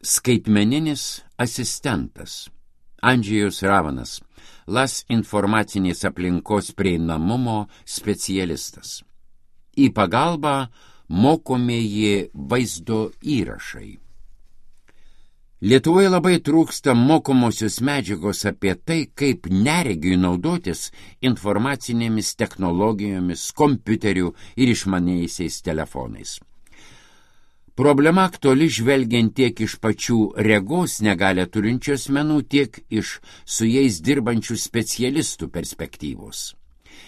Skaitmeninis asistentas. Andžejus Ravanas, LAS informacinės aplinkos prieinamumo specialistas. Į pagalbą mokomieji vaizdo įrašai. Lietuvoje labai trūksta mokomosios medžiagos apie tai, kaip neregiui naudotis informacinėmis technologijomis, kompiuteriu ir išmaniaisiais telefonais. Problema aktuali žvelgiant tiek iš pačių regos negalią turinčių asmenų, tiek iš su jais dirbančių specialistų perspektyvos.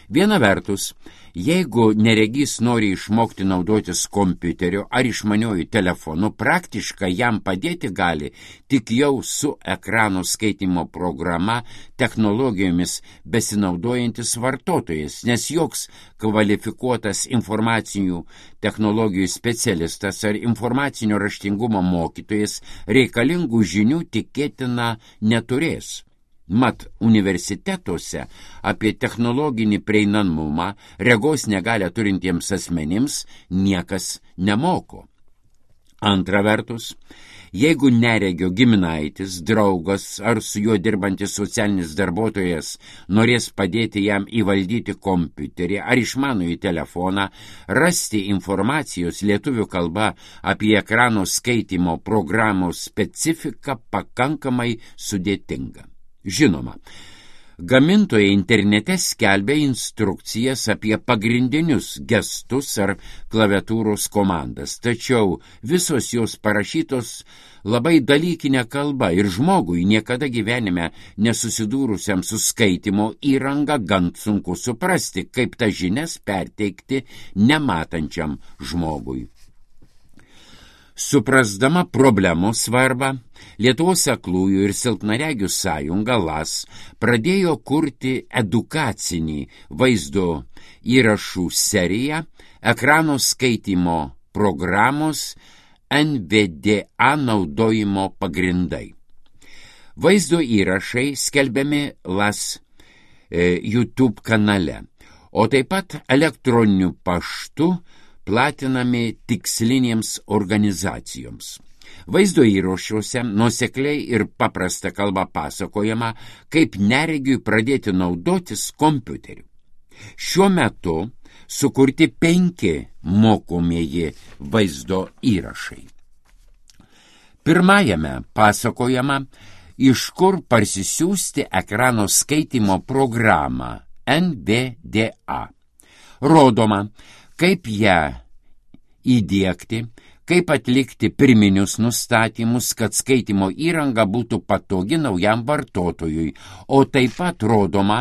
Viena vertus, jeigu neregys nori išmokti naudotis kompiuteriu ar išmaniuoju telefonu, praktiškai jam padėti gali tik jau su ekrano skaitymo programa technologijomis besinaudojantis vartotojas, nes joks kvalifikuotas informacinių technologijų specialistas ar informacinio raštingumo mokytojas reikalingų žinių tikėtina neturės. Mat, universitetuose apie technologinį prieinamumą regos negalią turintiems asmenims niekas nemoko. Antra vertus, jeigu neregio giminaitis, draugas ar su juo dirbantis socialinis darbuotojas norės padėti jam įvaldyti kompiuterį ar išmanųjį telefoną, rasti informacijos lietuvių kalba apie ekrano skaitymo programos specifiką pakankamai sudėtinga. Žinoma, gamintojai internete skelbia instrukcijas apie pagrindinius gestus ar klaviatūros komandas, tačiau visos jos parašytos labai dalykinė kalba ir žmogui niekada gyvenime nesusidūrusiam su skaitimo įranga gan sunku suprasti, kaip tas žinias perteikti nematančiam žmogui. Suprasdama problemos svarbą, Lietuvos aklųjų ir silpnaregių sąjunga LAS pradėjo kurti edukacinį vaizdo įrašų seriją ekrano skaitymo programos NVDA naudojimo pagrindai. Vaizdo įrašai skelbiami LAS YouTube kanale, o taip pat elektroniniu paštu platinami tikslinėms organizacijoms. Vaizdo įrašuose nuosekliai ir paprasta kalba pasakojama, kaip neregiui pradėti naudotis kompiuteriu. Šiuo metu sukurti 5 mokomieji vaizdo įrašai. Pirmajame pasakojama, iš kur parsisiųsti ekrano skaitymo programą NVDA. Rodoma, kaip ją įdiegti, kaip atlikti pirminius nustatymus, kad skaitimo įranga būtų patogi naujam vartotojui, o taip pat rodoma,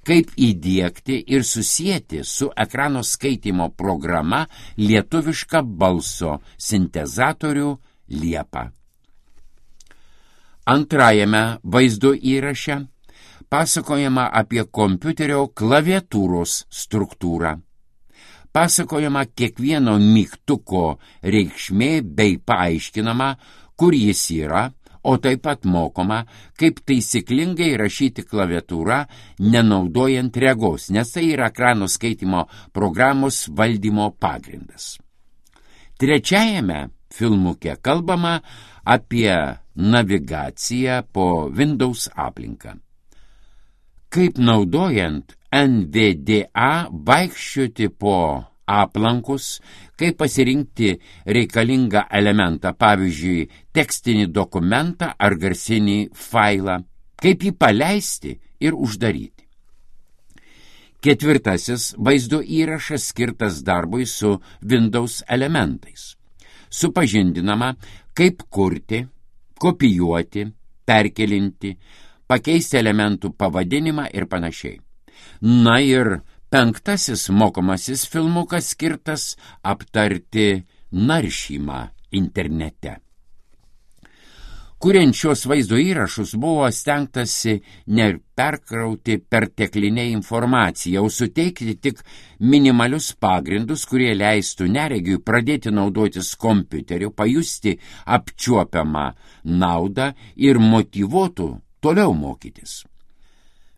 kaip įdiegti ir susieti su ekrano skaitymo programa lietuvišką balso sintezatorių Liepa. Antrajame vaizdo įraše pasakojama apie kompiuterio klaviatūros struktūrą. Pasakojama kiekvieno mygtuko reikšmė bei paaiškinama, kur jis yra, o taip pat mokoma, kaip taisyklingai rašyti klaviatūrą, nenaudojant regos, nes tai yra ekrano skaitimo programos valdymo pagrindas. Trečiajame filmuke kalbama apie navigaciją po Windows aplinką. Kaip naudojant NVDA vaikščioti po aplankus, kaip pasirinkti reikalingą elementą, pavyzdžiui, tekstinį dokumentą ar garsinį failą, kaip jį paleisti ir uždaryti. Ketvirtasis vaizdo įrašas skirtas darbui su Windows elementais. Supažindinama, kaip kurti, kopijuoti, perkelinti, pakeisti elementų pavadinimą ir panašiai. Na ir penktasis mokomasis filmukas skirtas aptarti naršymą internete. Kuriant šios vaizdo įrašus buvo stengtasi neperkrauti perteklinę informaciją, o suteikti tik minimalius pagrindus, kurie leistų neregiui pradėti naudotis kompiuteriu, pajusti apčiuopiamą naudą ir motyvuotų toliau mokytis.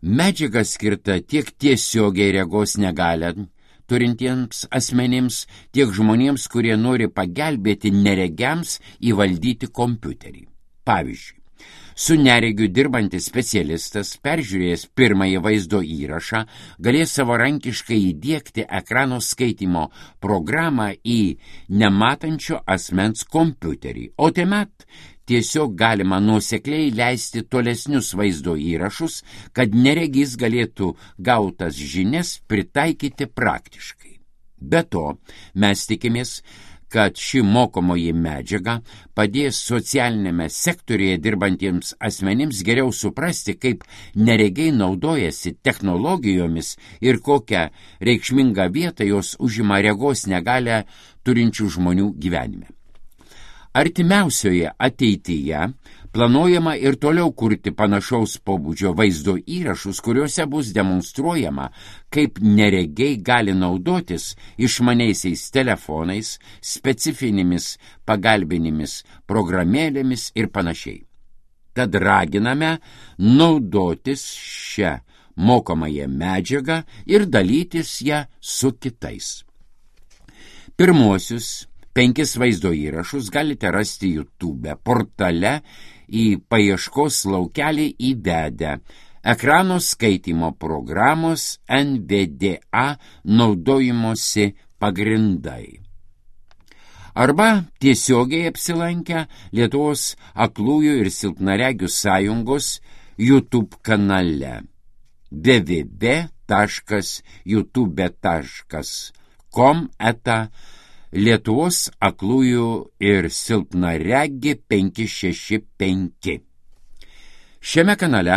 Medžiaga skirta tiek tiesiogiai regos negalią turintiems asmenims, tiek žmonėms, kurie nori pagelbėti neregiams įvaldyti kompiuterį. Pavyzdžiui, su neregiu dirbantis specialistas, peržiūrėjęs pirmąjį vaizdo įrašą, galės savarankiškai įdiegti ekrano skaitymo programą į nematančio asmens kompiuterį, o tuomet tiesiog galima nuosekliai leisti tolesnius vaizdo įrašus, kad neregys galėtų gautas žinias pritaikyti praktiškai. Be to, mes tikimės, kad ši mokomoji medžiaga padės socialinėme sektoriuje dirbantiems asmenims geriau suprasti, kaip neregiai naudojasi technologijomis ir kokią reikšmingą vietą jos užima regos negalią turinčių žmonių gyvenime. Artimiausioje ateityje planuojama ir toliau kurti panašaus pobūdžio vaizdo įrašus, kuriuose bus demonstruojama, kaip neregiai gali naudotis išmaniaisiais telefonais, specifinėmis pagalbinėmis programėlėmis ir panašiai. Tad raginame naudotis šią mokomąją medžiagą ir dalytis ją su kitais. Pirmuosius 5 vaizdo įrašus galite rasti YouTube portale į paieškos laukelį įvedę ekrano skaitymo programos NVDA naudojimosi pagrindai. Arba tiesiogiai apsilankę Lietuvos aklųjų ir silpnaregių sąjungos YouTube kanale www.youtube.com/ Lietuvos aklųjų ir silpnaregi 565. Šiame kanale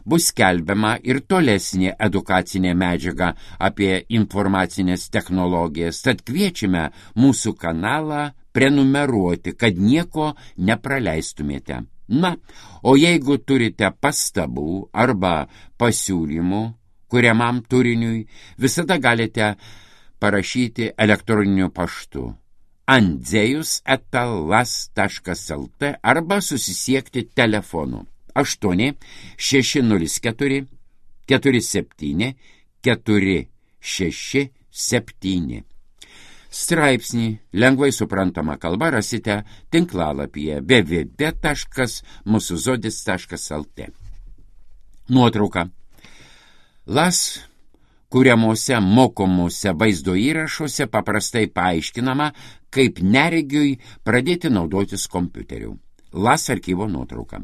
bus skelbiama ir tolesnė edukacinė medžiaga apie informacinės technologijas, tad kviečiame mūsų kanalą prenumeruoti, kad nieko nepraleistumėte. Na, o jeigu turite pastabų arba pasiūlymų kuriamam turiniui, visada galite parašyti elektroniniu paštu andzejus@las.lt arba susisiekti telefonu 8 604 47 467. Straipsnį lengvai suprantama kalba rasite tinklalapyje www.musuzodis.lt. Nuotrauka. LAS kuriamuose mokomuose vaizdo įrašuose paprastai paaiškinama, kaip neregiui pradėti naudotis kompiuteriu. LAS archyvo nuotrauka.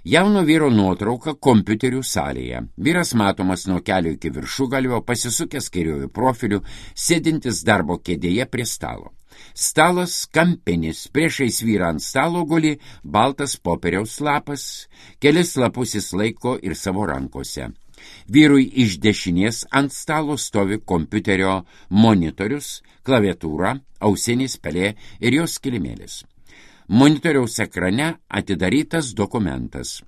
Jauno vyro nuotrauka kompiuterių salėje. Vyras matomas nuo kelio iki viršugalvio, pasisukęs kairiuoju profiliu, sėdintis darbo kėdėje prie stalo. Stalas kampinis, priešais vyrą ant stalo guli baltas popieriaus lapas, kelis lapus jis laiko ir savo rankose. Vyrui iš dešinės ant stalo stovi kompiuterio monitorius, klaviatūra, ausinis pelė ir jos kilimėlis. Monitoriaus ekrane atidarytas dokumentas.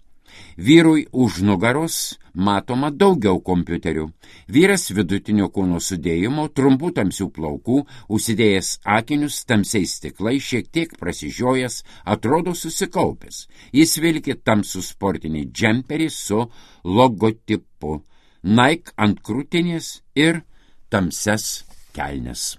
Vyrui už nugaros matoma daugiau kompiuterių. Vyras vidutinio kūno sudėjimo, trumpų tamsių plaukų, užsidėjęs akinius tamsiais stiklais, šiek tiek prasižiojęs, atrodo susikaupęs. Jis vilki tamsų sportinį džemperį su logotipu, Nike ant krūtinės ir tamsias kelnes.